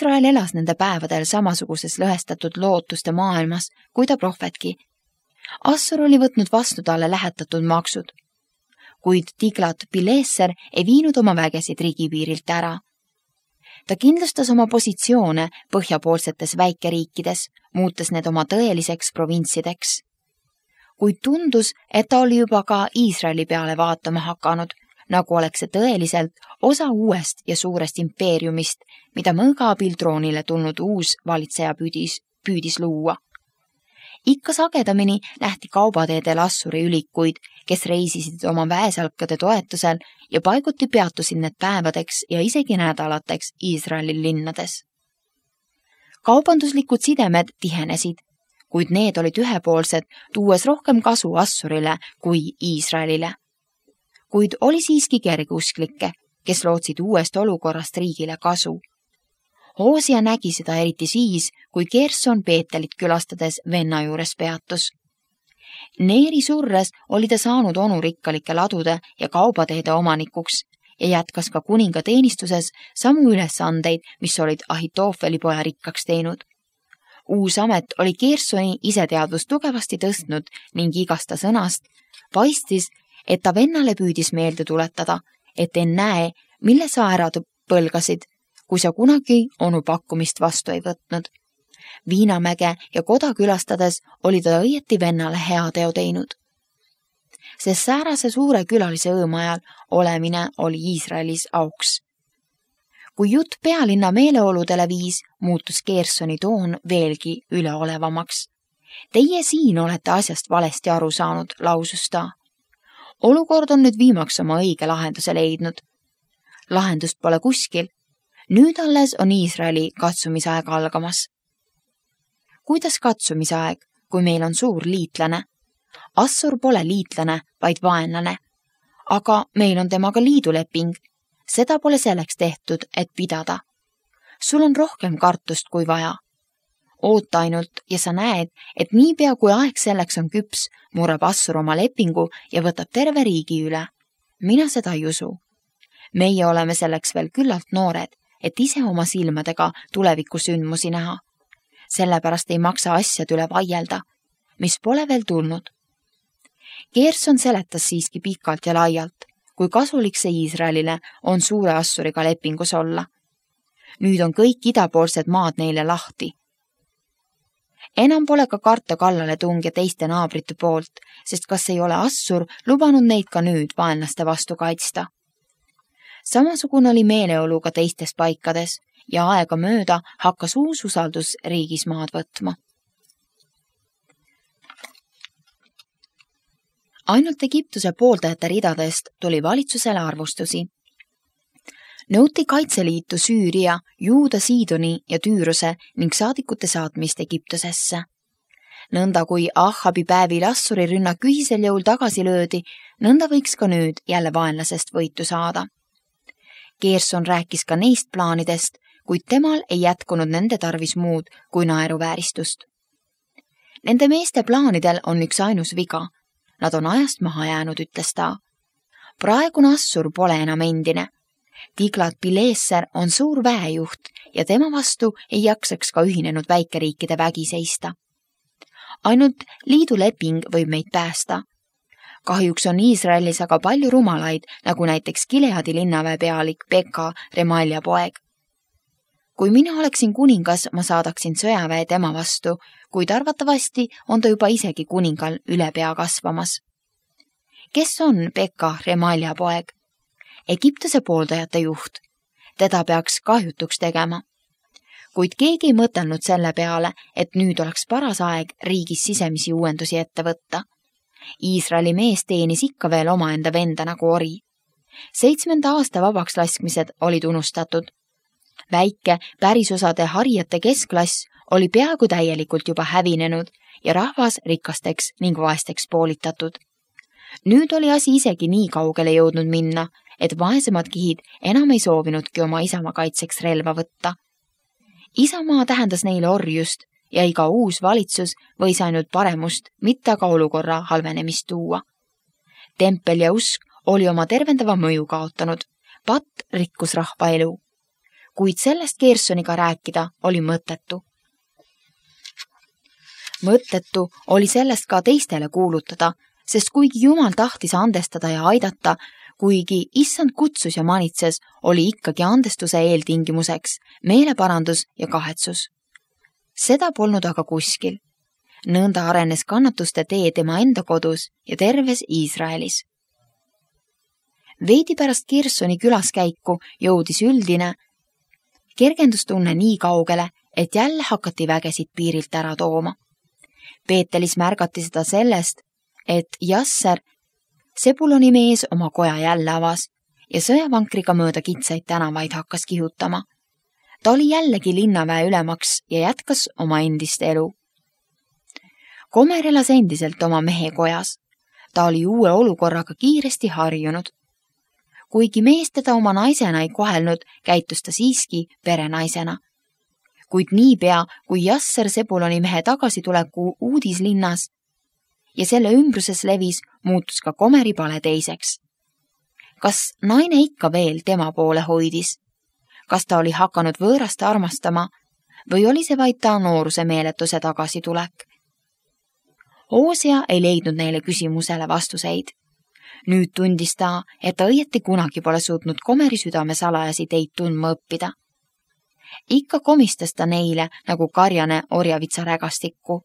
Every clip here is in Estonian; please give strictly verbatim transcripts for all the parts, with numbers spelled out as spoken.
Iisrael elas nende päevadel samasuguses lõhestatud lootuste maailmas, kui ta prohvetki. Assur oli võtnud vastu talle lähetatud maksud, kuid Tiglat-Pileser ei viinud oma vägesid riigipiirilt ära. Ta kindlustas oma positsioone põhjapoolsetes väikeriikides, muutes need oma tõeliseks provinssideks. Kuid tundus, et ta oli juba ka Iisraeli peale vaatama hakanud, nagu oleks see tõeliselt osa uuest ja suurest impeeriumist, mida mõõga abil troonile tulnud uus valitseja püüdis, püüdis luua. Ikka sagedamini nähti kaubateedel Assuri ülikuid, kes reisisid oma väesalkade toetusel ja paiguti peatusid need päevadeks ja isegi nädalateks Iisraeli linnades. Kaubanduslikud sidemed tihenesid, kuid need olid ühepoolsed, tuues rohkem kasu Assurile kui Iisraelile. Kuid oli siiski kergeusklikke, kes lootsid uuest olukorrast riigile kasu. Hoosia nägi seda eriti siis, kui Gerson Peetelit külastades venna juures peatus. Neeri surres oli ta saanud onurikkalike ladude ja kaubateede omanikuks ja jätkas ka kuninga teenistuses samu ülesandeid, mis olid Ahitoofeli poja rikkaks teinud. Uus amet oli Gersoni iseteadvust tugevasti tõstnud ning igasta sõnast paistis, et ta vennale püüdis meelde tuletada, et ennäe, mille sa ära põlgasid, kui sa kunagi onu pakkumist vastu ei võtnud. Viinamäge ja koda külastades oli ta õieti vennale hea teo teinud. Sest säärase suure külalise õõma ajal olemine oli Iisraelis auks. Kui jutt pealinna meeleoludele viis, muutus Gersoni toon veelgi üleolevamaks. Teie siin olete asjast valesti aru saanud, lausus ta. Olukord on nüüd viimaks oma õige lahenduse leidnud. Lahendust pole kuskil. Nüüd alles on Iisraeli katsumisaeg algamas. Kuidas katsumisaeg, kui meil on suur liitlane? Assur pole liitlane, vaid vaenlane. Aga meil on temaga liiduleping. Seda pole selleks tehtud, et pidada. Sul on rohkem kartust kui vaja. Oota ainult ja sa näed, et niipea kui aeg selleks on küps, murrab Assur oma lepingu ja võtab terve riigi üle. Mina seda ei usu. Meie oleme selleks veel küllalt noored, et ise oma silmadega tuleviku sündmusi näha. Sellepärast ei maksa asjad üle vaielda, mis pole veel tulnud. Gerson seletas siiski pikalt ja laialt, kui kasulik see Iisraelile on suure Assuriga lepingus olla. Nüüd on kõik idapoolsed maad neile lahti. Enam pole ka karta kallale tunge teiste naabrite poolt, sest kas ei ole Assur lubanud neid ka nüüd vaenlaste vastu kaitsta. Samasugune oli meeleolu ka teistes paikades ja aega mööda hakkas uus usaldus riigis maad võtma. Ainult Egiptuse pooldajate ridadest tuli valitsusele arvustusi. Nõuti kaitseliitu Süüria, Juuda, Siidoni ja Tüüruse ning saadikute saatmist Egiptusesse. Nõnda kui Ahabi päevil Assuri rünnak ühisel jõul tagasi löödi, nõnda võiks ka nüüd jälle vaenlasest võitu saada. Gerson rääkis ka neist plaanidest, kuid temal ei jätkunud nende tarvis muud kui naeruvääristust. Nende meeste plaanidel on üks ainus viga. Nad on ajast maha jäänud, ütles ta. Praegune Assur pole enam endine. Tiglat-Pileser on suur väejuht ja tema vastu ei jaksaks ka ühinenud väikeriikide vägi seista. Ainult liiduleping võib meid päästa. Kahjuks on Iisraelis aga palju rumalaid, nagu näiteks Gileadi linnaväe pealik Pekka, Remalja poeg. Kui mina oleksin kuningas, ma saadaksin sõjaväe tema vastu, kuid arvatavasti on ta juba isegi kuningal üle pea kasvamas. Kes on Pekka, Remalja poeg? Egiptuse pooldajate juht. Teda peaks kahjutuks tegema. Kuid keegi ei mõtelnud selle peale, et nüüd oleks paras aeg riigis sisemisi uuendusi ette võtta. Iisraeli mees teenis ikka veel omaenda venda nagu ori. Seitsmenda aasta vabaks laskmised olid unustatud. Väike pärisosade harijate keskklass oli peaaegu täielikult juba hävinenud ja rahvas rikasteks ning vaesteks poolitatud. Nüüd oli asi isegi nii kaugele jõudnud minna, et vaesemad kihid enam ei soovinudki oma isamaa kaitseks relva võtta. Isamaa tähendas neile orjust ja iga uus valitsus võis ainult paremust, mitte aga olukorra halvenemist tuua. Tempel ja usk oli oma tervendava mõju kaotanud, patt rikkus rahva elu. kuid sellest Gersoniga rääkida oli mõttetu. Mõttetu oli sellest ka teistele kuulutada, sest kuigi Jumal tahtis andestada ja aidata, kuigi issand kutsus ja manitses, oli ikkagi andestuse eeltingimuseks meeleparandus ja kahetsus. Seda polnud aga kuskil. Nõnda arenes kannatuste tee tema enda kodus ja terves Iisraelis. Veidi pärast Gersoni külaskäiku jõudis üldine kergendustunne nii kaugele, et jälle hakati vägesid piirilt ära tooma. Peetelis märgati seda sellest, et Jasser, Sebuloni mees, oma koja jälle avas ja sõjavankriga mööda kitsaid tänavaid hakkas kihutama. Ta oli jällegi linnaväe ülemaks ja jätkas oma endist elu. Komer elas endiselt oma mehe kojas. Ta oli uue olukorraga kiiresti harjunud. Kuigi mees teda oma naisena ei kohelnud, käitus ta siiski perenaisena. Kuid niipea, kui Jasser Sebuloni mehe tagasituleku uudis linnas ja selle ümbruses levis, muutus ka Komeri pale teiseks. Kas naine ikka veel tema poole hoidis? Kas ta oli hakanud võõrast armastama või oli see vaid ta nooruse meeletuse tagasitulek? Hosea ei leidnud neile küsimusele vastuseid. Nüüd tundis ta, et ta õieti kunagi pole suutnud Komeri südame salajasi teid tundma õppida. Ikka komistas ta neile nagu karjane orjavitsa rägastikku.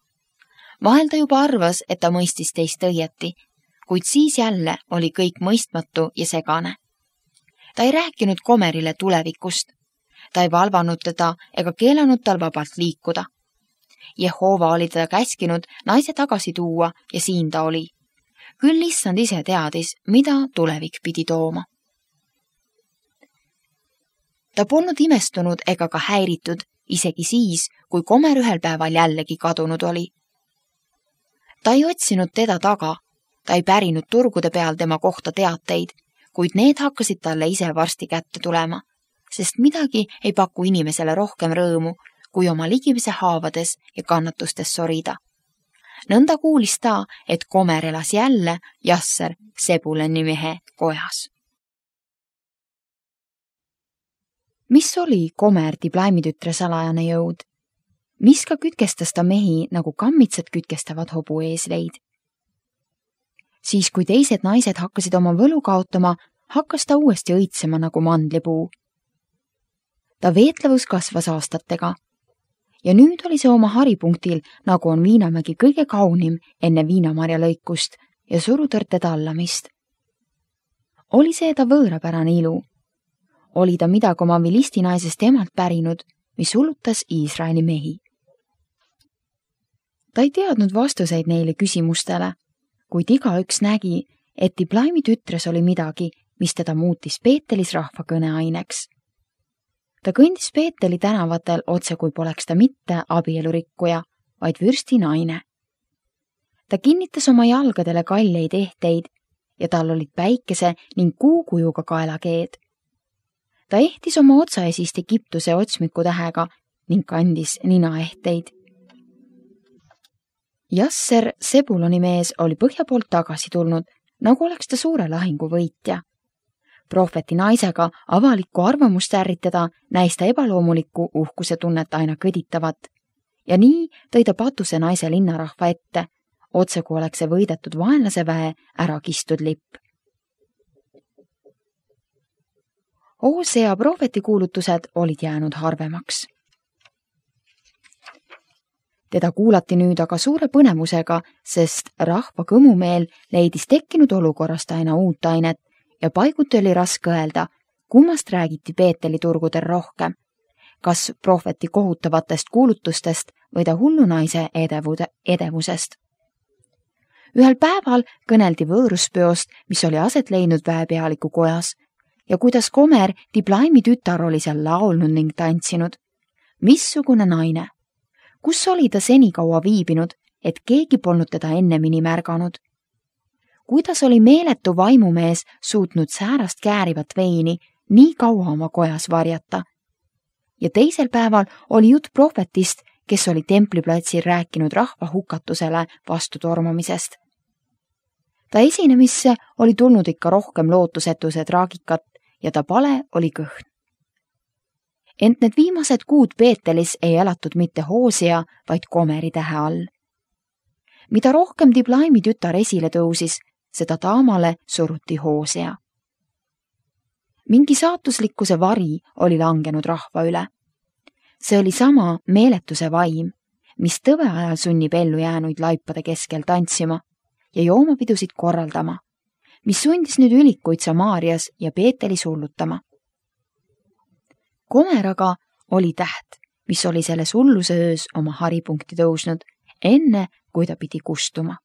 Vahel ta juba arvas, et ta mõistis teist õieti, kuid siis jälle oli kõik mõistmatu ja segane. Ta ei rääkinud Komerile tulevikust. Ta ei valvanud teda ega keelanud tal vabalt liikuda. Jehova oli teda käskinud naise tagasi tuua ja siin ta oli. Küll issand ise teadis, mida tulevik pidi tooma. Ta polnud imestunud ega ka häiritud, isegi siis, kui Komer ühel päeval jällegi kadunud oli. Ta ei otsinud teda taga, ta ei pärinud turgude peal tema kohta teateid, kuid need hakkasid talle ise varsti kätte tulema, sest midagi ei paku inimesele rohkem rõõmu, kui oma ligimese haavades ja kannatustes sorida. Nõnda kuulis ta, et Komer elas jälle Jasser Sebuloni mehe kojas. Mis oli Komer Diblaimitütre salajane jõud? Mis ka kütkestas ta mehi, nagu kammitsad kütkestavad hobu eesleid? Siis, kui teised naised hakkasid oma võlu kaotama, hakkas ta uuesti õitsema nagu mandlipuu. Ta veetlevus kasvas aastatega. Ja nüüd oli see oma haripunktil, nagu on Viinamägi kõige kaunim enne viinamarja lõikust ja surutõrte tallamist. Oli see ta võõrapärane ilu? Oli ta midagi oma vilistinaisest emalt pärinud, mis hullutas Iisraeli mehi? Ta ei teadnud vastuseid neile küsimustele, kuid igaüks nägi, et Diblaimitütres oli midagi, mis teda muutis Peetelis rahva kõneaineks. Ta kõndis Peeteli tänavatel otse, kui poleks ta mitte abielurikkuja, vaid vürsti naine. Ta kinnitas oma jalgadele kalleid ehteid ja tal olid päikese ning kuukujuga kaelakeed. Ta ehtis oma otsaesist Egiptuse otsmiku tähega ning kandis ninaehteid. Jasser Sebuloni mees oli põhja poolt tagasi tulnud, nagu oleks ta suure lahingu võitja. Prohveti naisega avalikku arvamust ärritada näis ta ebaloomulikku uhkuse tunnet aina kõditavat. Ja nii tõi ta patuse naise linnarahva ette, otse kui oleks see võidetud vaenlase väe ära kistud lipp. Hosea prohveti kuulutused olid jäänud harvemaks. Teda kuulati nüüd aga suure põnevusega, sest rahva kõmumeel leidis tekkinud olukorrast aina uut ainet ja paiguti oli raske öelda, kummast räägiti Peeteli turgudel rohkem, kas prohveti kohutavatest kuulutustest või ta hullunaise edevude, edevusest. Ühel päeval kõneldi võõruspeost, mis oli aset leidnud väepealiku kojas, ja kuidas Komer Diblaimi tütar oli seal laulnud ning tantsinud. Missugune naine? Kus oli ta senikaua viibinud, et keegi polnud teda ennemini märganud? Kuidas oli meeletu vaimumees suutnud säärast käärivat veini nii kaua oma kojas varjata? Ja teisel päeval oli jutt prohvetist, kes oli templiplatsil rääkinud rahva hukatusele vastu tormamisest. Ta esinemisse oli tulnud ikka rohkem lootusetuse traagikat ja ta pale oli kõhn. Ent need viimased kuud Beetelis ei elatud mitte Hosea, vaid Gomeri tähe all. Mida rohkem Diblaimi tütar esile tõusis, seda taamale suruti Hosea. Mingi saatuslikkuse vari oli langenud rahva üle. See oli sama meeletuse vaim, mis tõve ajal sunnib ellu jäänuid laipade keskel tantsima ja joomapidusid korraldama, mis sundis nüüd ülikuid Samaarias ja Beetelis hullutama. Gomer aga oli täht, mis oli selles hulluse öös oma haripunkti tõusnud, enne kui ta pidi kustuma.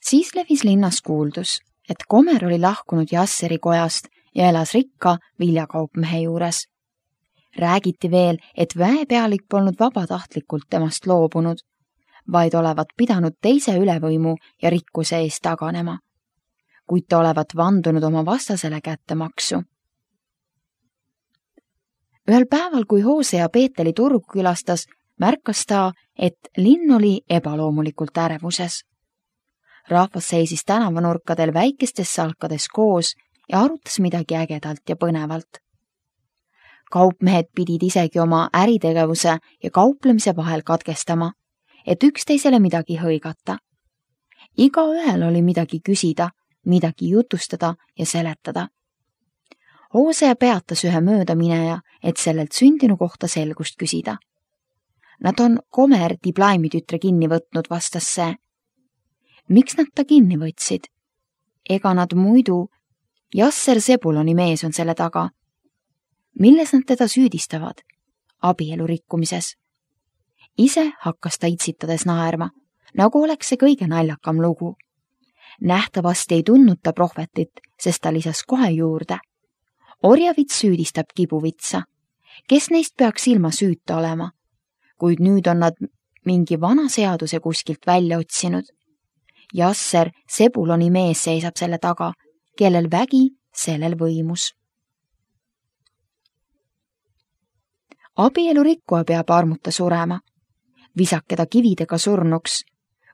Siis levis linnas kuuldus, et Gomer oli lahkunud Jasseri kojast ja elas rikka viljakaupmehe juures. Räägiti veel, et väepealik polnud vabatahtlikult temast loobunud, vaid olevat pidanud teise ülevõimu ja rikkuse eest taganema, kuid ta olevat vandunud oma vastasele kättemaksu. Ühel päeval, kui Hosea Beeteli turgu külastas, märkas ta, et linn oli ebaloomulikult ärevuses. Rahvas seisis tänavanurkadel väikestes salkades koos ja arutas midagi ägedalt ja põnevalt. Kaupmehed pidid isegi oma äritegevuse ja kauplemise vahel katkestama, et üksteisele midagi hõigata. Igaühel oli midagi küsida, midagi jutustada ja seletada. Hosea peatas ühe möödamineja, et sellelt sündinu kohta selgust küsida. Nad on Gomer Diblaimi tütre kinni võtnud, vastas see. Miks nad ta kinni võtsid? Ega nad muidu, Jasser Sebuloni mees on selle taga. Milles nad teda süüdistavad? Abielu rikkumises. Ise hakkas ta itsitades naerma, nagu oleks see kõige naljakam lugu. Nähtavasti ei tundnud ta prohvetit, sest ta lisas kohe juurde. Orjavits süüdistab kibuvitsa. Kes neist peaks ilma süüta olema? Kuid nüüd on nad mingi vana seaduse kuskilt välja otsinud. Jasser, Sebuloni mees, seisab selle taga, kellel vägi, sellel võimus. Abielu rikkuja peab armuta surema. Visake ta kividega surnuks.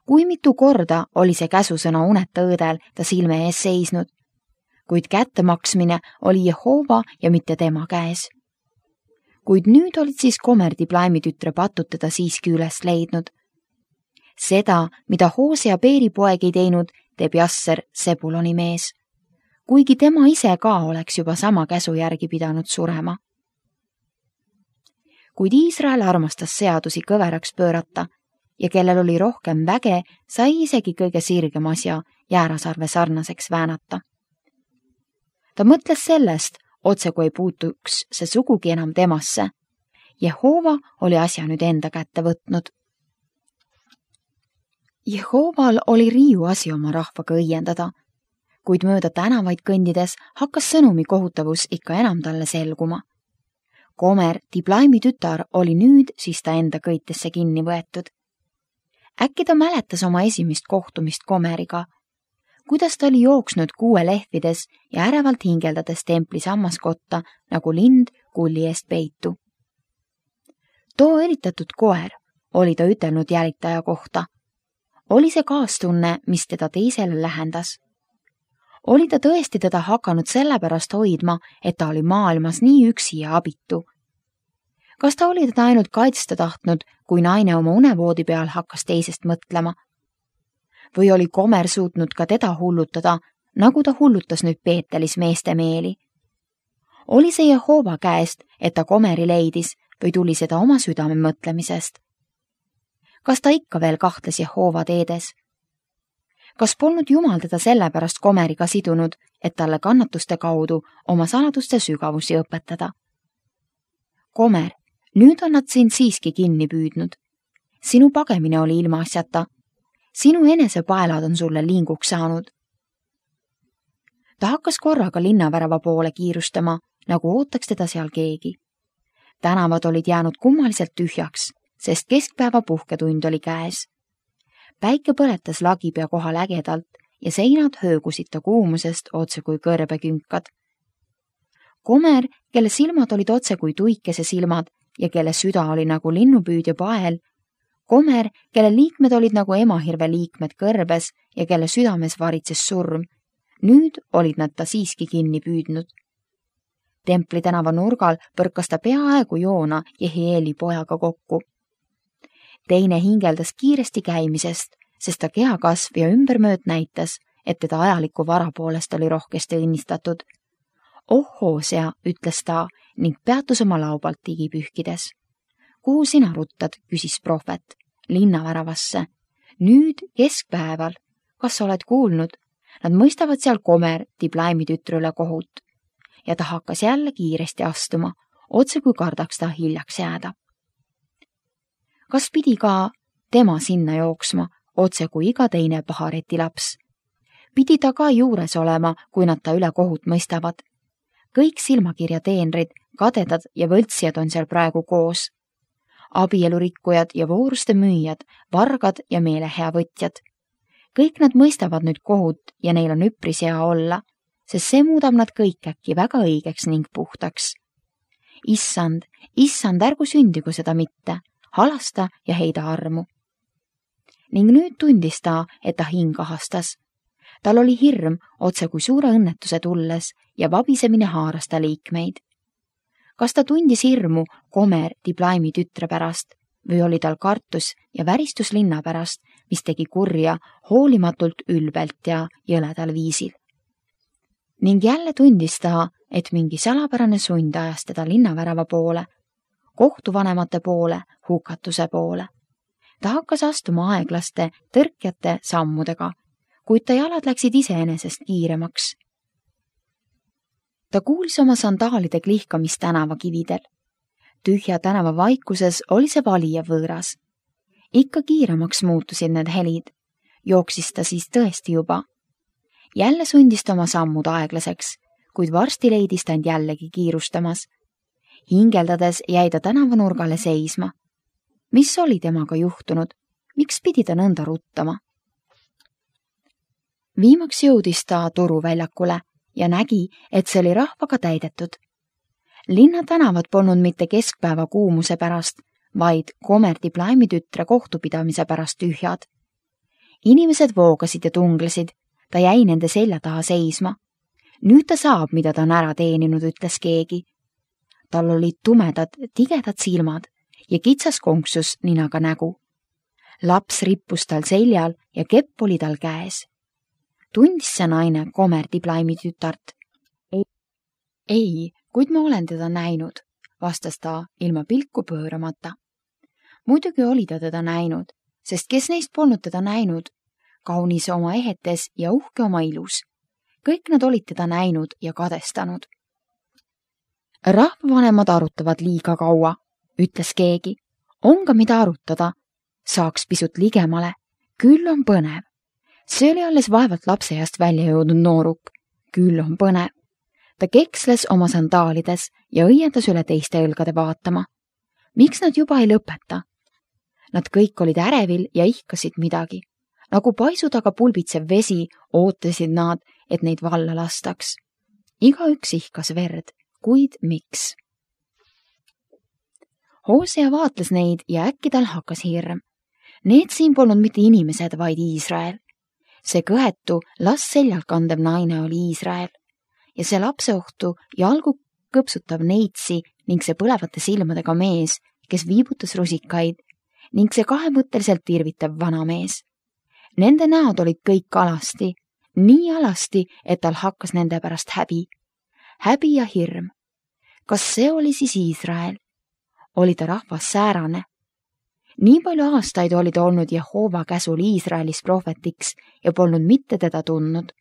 Kui mitu korda oli see käsusõna uneta õõdel ta silme ees seisnud, kuid kättemaksmine oli Jehova ja mitte tema käes. Kuid nüüd olid siis Gomer Diblaimi tütre patud teda siiski üles leidnud. Seda, mida Hosea Beeri poeg ei teinud, teeb Jasser Sebuloni mees, kuigi tema ise ka oleks juba sama käsu järgi pidanud surema. Kuid Iisrael armastas seadusi kõveraks pöörata ja kellel oli rohkem väge, sai isegi kõige sirgem asja jäärasarve sarnaseks väänata. Ta mõtles sellest, otse kui ei puutuks see sugugi enam temasse. Jehova oli asja nüüd enda kätte võtnud. Jehoval oli riiu asi oma rahvaga õiendada, kuid mööda tänavaid kõndides hakkas sõnumi kohutavus ikka enam talle selguma. Gomer, Diblaimi tütar, oli nüüd siis ta enda kõitesse kinni võetud. Äkki ta mäletas oma esimest kohtumist Gomeriga, kuidas ta oli jooksnud kuue lehvides ja ärevalt hingeldades templi sammaskotta nagu lind kulli eest peitu. Too eritatud koer oli ta ütelnud jälitaja kohta. Oli see kaastunne, mis teda teisele lähendas. Oli ta tõesti teda hakanud sellepärast hoidma, et ta oli maailmas nii üksi ja abitu. Kas ta oli teda ainult kaitsta tahtnud, kui naine oma unevoodi peal hakkas teisest mõtlema? Või oli Gomer suutnud ka teda hullutada, nagu ta hullutas nüüd Beetelis meeste meeli? Oli see Jehova käest, et ta Gomeri leidis või tuli seda oma südame mõtlemisest? Kas ta ikka veel kahtles Jehova teedes? Kas polnud Jumal teda sellepärast Gomeriga sidunud, et talle kannatuste kaudu oma saladuste sügavusi õpetada? Gomer, nüüd on nad sind siiski kinni püüdnud. Sinu pagemine oli ilmaasjata. Sinu enese paelad on sulle linguks saanud. Ta hakkas korraga linnavärava poole kiirustama, nagu ootaks teda seal keegi. Tänavad olid jäänud kummaliselt tühjaks, sest keskpäeva puhketund oli käes. Päike põletas lagipea kohal ägedalt ja seinad höögusid ta kuumusest otse kui kõrbekünkad. Gomer, kelle silmad olid otse kui tuikese silmad ja kelle süda oli nagu linnupüüdja pael, Gomer, kelle liikmed olid nagu emahirve liikmed kõrbes ja kelle südames varitses surm, nüüd olid nad ta siiski kinni püüdnud. Templi tänava nurgal põrkas ta peaaegu Joona Jehieli pojaga kokku. Teine hingeldas kiiresti käimisest, sest ta kehakasv ja ümbermööt näitas, et teda ajaliku vara poolest oli rohkesti õnnistatud. Oh, Hoosea, ütles ta ning peatus oma laubalt tigi pühkides. Kuhu sina ruttad, küsis prohvet. Linnaväravasse. Nüüd keskpäeval. Kas sa oled kuulnud? Nad mõistavad seal Gomer Diblaimi tütre üle kohut. Ja ta hakkas jälle kiiresti astuma, otse kui kardaks ta hiljaks jääda. Kas pidi ka tema sinna jooksma, otse kui iga teine pahareti laps? Pidi ta ka juures olema, kui nad ta üle kohut mõistavad. Kõik silmakirja teenrid, kadedad ja võltsijad on seal praegu koos. Abielurikkujad ja vooruste müüjad, vargad ja meelehea võtjad. Kõik nad mõistavad nüüd kohut ja neil on üpris hea olla, sest see muudab nad kõik äkki väga õigeks ning puhtaks. Issand, issand, ärgu sündigu seda mitte, halasta ja heida armu. Ning nüüd tundis ta, et ta hing ahastas. Tal oli hirm otse kui suure õnnetuse tulles ja vabisemine haaras ta liikmeid. Kas ta tundis hirmu Gomer Diblaimi tütre pärast või oli tal kartus ja väristus linna pärast, mis tegi kurja hoolimatult ülbelt ja jõledal viisil? Ning jälle tundis ta, et mingi salapärane sund ajas teda linnavärava poole, kohtuvanemate poole, hukatuse poole. Ta hakkas astuma aeglaste, tõrkjate sammudega, kuid ta jalad läksid iseenesest kiiremaks. Ta kuulis oma sandaalide klihkamist tänava kividel. Tühja tänava vaikuses oli see valija võõras. Ikka kiiremaks muutusid need helid. Jooksis ta siis tõesti juba. Jälle sundis ta oma sammud aeglaseks, kuid varsti leidis ta end jällegi kiirustamas. Hingeldades jäi ta tänavanurgale seisma. Mis oli temaga juhtunud? Miks pidi ta nõnda ruttama? Viimaks jõudis ta turuväljakule ja nägi, et see oli rahvaga täidetud. Linna tänavad polnud mitte keskpäeva kuumuse pärast, vaid Gomer Diblaimi tütre kohtupidamise pärast tühjad. Inimesed voogasid ja tunglesid, ta jäi nende selja taha seisma. Nüüd ta saab, mida ta on ära teeninud, ütles keegi. Tal olid tumedad, tigedad silmad ja kitsas konksus ninaga nägu. Laps rippus tal seljal ja kepp oli tal käes. Tundis see naine Gomer Diblaimi tütart? Ei, ei, kuid ma olen teda näinud, vastas ta ilma pilku pööramata. Muidugi oli ta teda näinud, sest kes neist polnud teda näinud? Kaunis oma ehetes ja uhke oma ilus. Kõik nad olid teda näinud ja kadestanud. Rahvavanemad arutavad liiga kaua, ütles keegi. On ka mida arutada. Saaks pisut ligemale. Küll on põnev. See oli alles vaevalt lapseeast välja jõudnud nooruk. Küll on põnev. Ta keksles oma sandaalides ja õiendas üle teiste õlgade vaatama. Miks nad juba ei lõpeta? Nad kõik olid ärevil ja ihkasid midagi. Nagu paisu taga pulbitsev vesi ootasid nad, et neid valla lastaks. Iga üks ihkas verd, kuid miks? Hoosea vaatles neid ja äkki tal hakkas hirm. Need siin polnud mitte inimesed, vaid Iisrael. See kõhetu, las seljalt kandev naine oli Iisrael. Ja see lapseohtu jalgu kõpsutav neitsi ning see põlevate silmadega mees, kes viibutas rusikaid, ning see kahemõtteliselt irvitav vanamees. Nende näod olid kõik alasti, nii alasti, et tal hakkas nende pärast häbi. Häbi ja hirm. Kas see oli siis Iisrael? Oli ta rahvas säärane? Nii palju aastaid oli ta olnud Jehova käsul Iisraelis prohvetiks ja polnud mitte teda tundnud.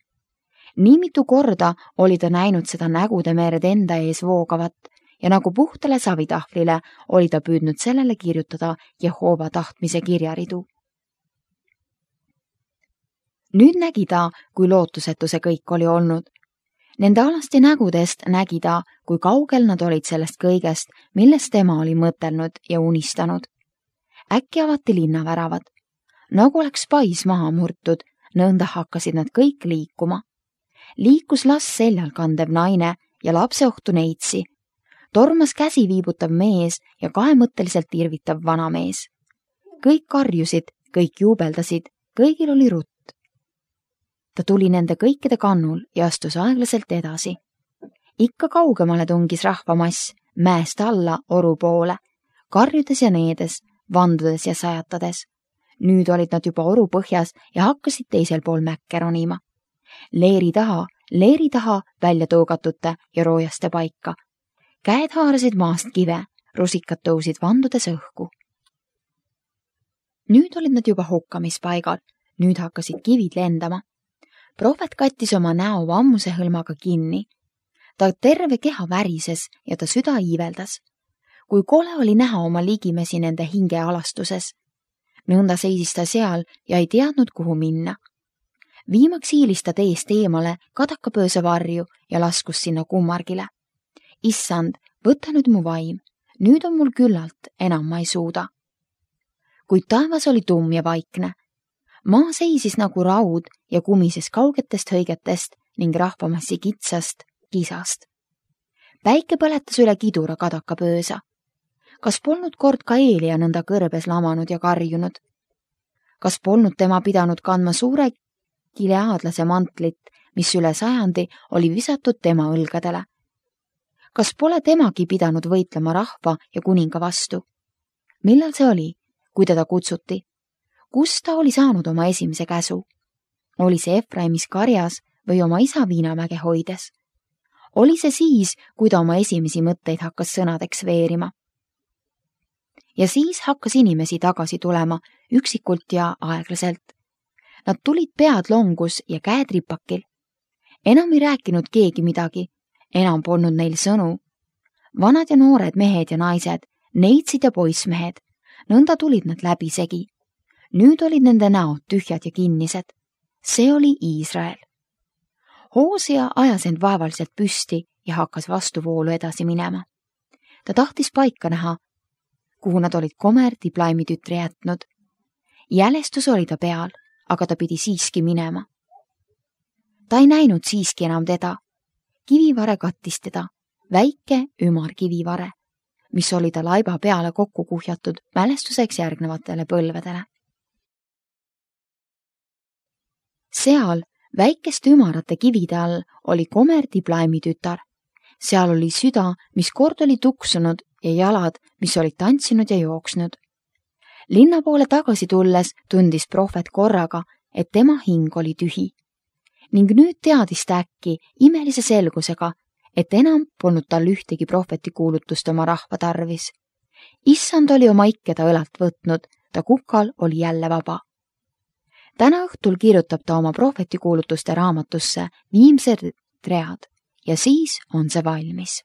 Nii mitu korda oli ta näinud seda nägude mered enda ees voogavat ja nagu puhtale savitahvlile oli ta püüdnud sellele kirjutada Jehova tahtmise kirjaridu. Nüüd nägi ta, kui lootusetu see kõik oli olnud. Nende alasti nägudest nägi ta, kui kaugel nad olid sellest kõigest, millest tema oli mõtelnud ja unistanud. Äkki avati linnaväravad. Nagu oleks pais maha murtud, nõnda hakkasid nad kõik liikuma. Liikus las seljal kandev naine ja lapseohtu neitsi. Tormas käsi viibutav mees ja kahemõtteliselt irvitav vanamees. Kõik karjusid, kõik juubeldasid, kõigil oli rutt. Ta tuli nende kõikide kannul ja astus aeglaselt edasi. Ikka kaugemale tungis rahvamass mäest alla oru poole, karjudes ja needes, vandudes ja sajatades. Nüüd olid nad juba oru põhjas ja hakkasid teisel pool mäkke ronima. Leeri taha, leeri taha välja tõugatute ja roojaste paika. Käed haarasid maast kive, rusikad tõusid vandudes õhku. Nüüd olid nad juba hukkamispaigal, nüüd hakkasid kivid lendama. Prohvet kattis oma näo vammuse hõlmaga kinni. Ta terve keha värises ja ta süda iiveldas. Kui kole oli näha oma ligimesi nende hinge alastuses. Nõnda seisis ta seal ja ei teadnud, kuhu minna. Viimaks hiilis ta teest eemale kadakapööse varju ja laskus sinna kummargile. Issand, võta nüüd mu vaim, nüüd on mul küllalt, enam ma ei suuda. Kuid taevas oli tumm ja vaikne. Maa seisis nagu raud ja kumises kaugetest hõigetest ning rahvamassi kitsast kisast. Päike põletas üle kidura kadakapöösa. Kas polnud kord ka Eelia nõnda kõrbes lamanud ja karjunud? Kas polnud tema pidanud kandma suure kileaadlase mantlit, mis üle sajandi oli visatud tema õlgadele? Kas pole temagi pidanud võitlema rahva ja kuninga vastu? Millal see oli, kui teda kutsuti? Kus ta oli saanud oma esimese käsu? Oli see Efraimis karjas või oma isa Viinamäge hoides? Oli see siis, kui ta oma esimesi mõtteid hakkas sõnadeks veerima? Ja siis hakkas inimesi tagasi tulema, üksikult ja aeglaselt. Nad tulid pead longus ja käed ripakil. Enam ei rääkinud keegi midagi, enam polnud neil sõnu. Vanad ja noored mehed ja naised, neitsid ja poissmehed, nõnda tulid nad läbisegi. Nüüd olid nende näod tühjad ja kinnised. See oli Iisrael. Hoosia ajas end vaevaliselt püsti ja hakkas vastuvoolu edasi minema. Ta tahtis paika näha, kuhu nad olid Gomer Diblaimi tütre jätnud. Jälestus oli ta peal, aga ta pidi siiski minema. Ta ei näinud siiski enam teda. Kivivare kattis teda, väike ümar kivivare, mis oli ta laiba peale kokku kuhjatud mälestuseks järgnevatele põlvedele. Seal väikeste ümarate kivide all oli Gomer Diblaimi tütar. Seal oli süda, mis kord oli tuksunud ja jalad, mis olid tantsinud ja jooksnud. Linna poole tagasi tulles tundis prohvet korraga, et tema hing oli tühi. Ning nüüd teadis ta äkki imelise selgusega, et enam polnud tal ühtegi prohveti kuulutust oma rahva tarvis. Issand oli oma ikkeda õlalt võtnud, ta kukal oli jälle vaba. Täna õhtul kirjutab ta oma prohvetikuulutuste raamatusse viimsed read ja siis on see valmis.